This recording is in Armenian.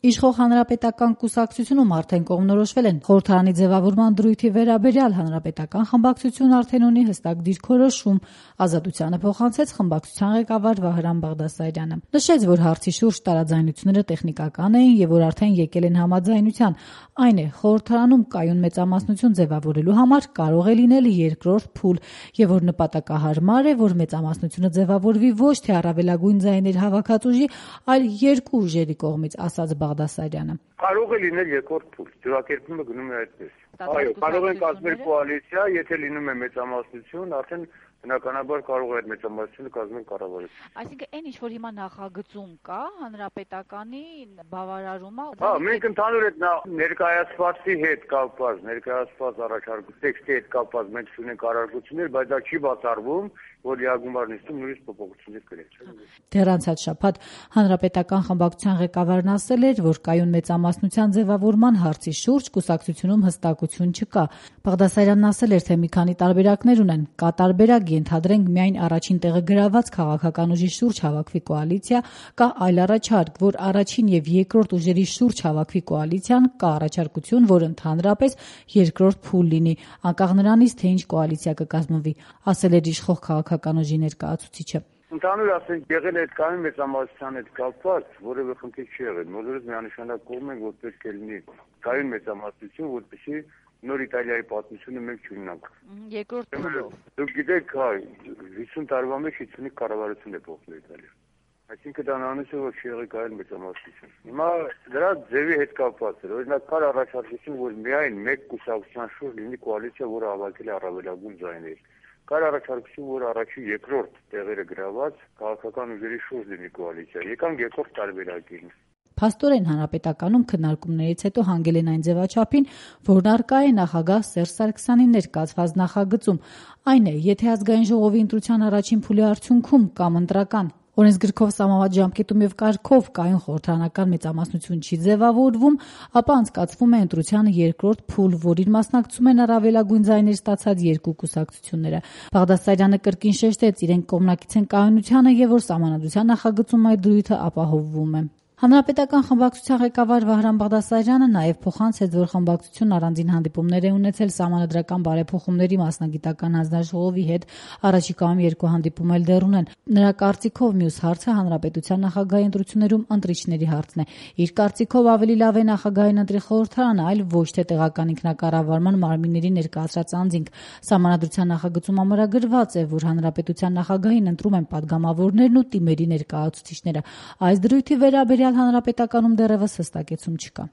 Իշխող հանրապետական կուսակցությունում արդեն կողմնորոշվել են խորհրդարանի ձևավորման դրույթի վերաբերյալ հանրապետական խմբակցությունն արդեն ունի հստակ դիրքորոշում, Ազատությանը փոխանցեց խմբակցության ղեկավար Վահրամ Բաղդասարյանը։ Նշեց, որ հարցի շուրջ տարաձայնությունները տեխնիկական էին եւ որ արդեն եկել են համաձայնության։ Այն է, խորհրդարանում կայուն մեծամասնություն ձևավորելու համար կարող է լինել երկրորդ փուլ եւ որ նպատակահարմար է, որ մեծամասնությունը ձևավորվի ոչ թե առավելագույն ձայներ հավաքած ուժի, այլ երկու ուժերի կողմից, ասաց Բաղդասարյանը։ Կարող է լինել երկրորդ փուլ, ձևակերպումը գնում է այդպես։ Այո, կարող են կազմել կոալիցիա, եթե լինում է մեծամասնություն, արդեն բնականաբար կարող է այդ մեծամասնությունը կազմել կառավարություն։ Այսինքն այն ինչ որ հիմա նախագծում կա, հանրապետականի բավարարումը։ Մենք ընդհանուր այդ ներկայացվածի հետ կապված, ներկայացված առաջարկության տեքստի հետ կապված մենք ունենք առարկություններ, բայց դա չի բացառվում, որ լիագումար նիստում նույնիսկ փոփոխություններ կրեն։ Դեռ անցած շաբաթ հանրապետական խմբակցության ղեկավարն ասել էր, որ կայուն մեծամասնության ձևավորման հարցի շուրջ կուսակցությունում հստակություն չկա։ Բաղդասարյանն ասել էր, թե մի քանի տարբերակներ ունեն։ Կա տարբերակ ենթադրենք միայն առաջին տեղը գրաված քաղաքական ուժի շուրջ հավաքվի կոալիցիա, կա այլ առաջարկ, որ առաջին եւ երկրորդ ուժերի շուրջ հավաքվի կոալիցիան, կա առաջարկություն, որ ընդհանրապես երկրորդ փուլ լինի, անկախ նրանից, թե ինչ կոալիցիա կկազմվի, ասել էր իշխող քաղաքական ուժի ներկայացուցիչը։ Ընդհանուր ասենք եղել է այդ կայուն մեծամասնության հետ կապված որևէ խնդիր չի եղել։ Բոլորս միանշանակ կողմ ենք, որ պետք է լինի կայուն մեծամասնություն, որպեսզի նոր Իտալիայի պատմությունը մենք չունենանք։ Երկրորդ փուլով։ Դուք գիտեք, 50 տարվա մեջ 55 կառավարություն է փոխվել Իտալիայում։ Այսինքն դա նույնիսկ որ չի եղել կայուն մեծամասնություն։ Հիմա դրա ձևի հետ կապված է։ Օրինակ կար առաջարկություն, որ միայն մեկ կուսակցության շուրջ լինի կոալիցիա, որը հավաքել է առավելագույն ձայներ։ Կար առաջարկություն, որ առաջին երկրորդ տեղերը գրաված քաղաքական ուժերի շուրջ լինի կոալիցիա։ Եկանք երկրորդ տարբերակին։ Փաստորեն հանրապետականում քննարկումներից հետո հանգել են այն ձևաչափին, որն առկա է նախագահ Սերժ Սարգսյանի ներկայացված նախագծում։ Այն է, եթե ազգային ժողովի ընտրության առաջին փուլի արդյունքում կամ ընտրական օրենսգրքով սահմանված ժամկետում եւ կարգով կայուն խորհրդարանական մեծամասնություն չի ձևավորվում, ապա անցկացվում է ընտրության երկրորդ փուլ, որին մասնակցում են առավելագույն ձայներ ստացած երկու կուսակցությունները։ Բաղդասարյանը կրկին շեշտեց, իրենք կողմնակից են կայունությանը եւ որ սահմանադրության նախագծում այդ դրույթը ապահովվում է։ Հանրապետական խմբակցության ղեկավար Վահրամ Բաղդասարյանը նաև փոխանցեց, որ խմբակցությունն առանձին հանդիպումներ է ունեցել սահմանադրական բարեփոխումների մասնագիտական հանձնաժողովի հետ, առաջիկայում երկու հանդիպում էլ դեռ ունեն։ Նրա կարծիքով մյուս հարցը հանրապետության նախագահի ընտրություններում ընտրիչների հարցն է։ Իր կարծիքով ավելի լավ է նախագահային ընտրի խորհրդարանը, այլ ոչ թե տեղական ինքնակառավարման մարմինների ներկայացրած անձինք։ Սահմանադրության նախագծում ամրագրված է, որ հանրապետության նախագահին ընտրում են падգամավորներն ու տիմերի ներկայացուցիչները։ Այս դրույթի վերաբերյալ հանրապետականում դեռևս հստակեցում չկա։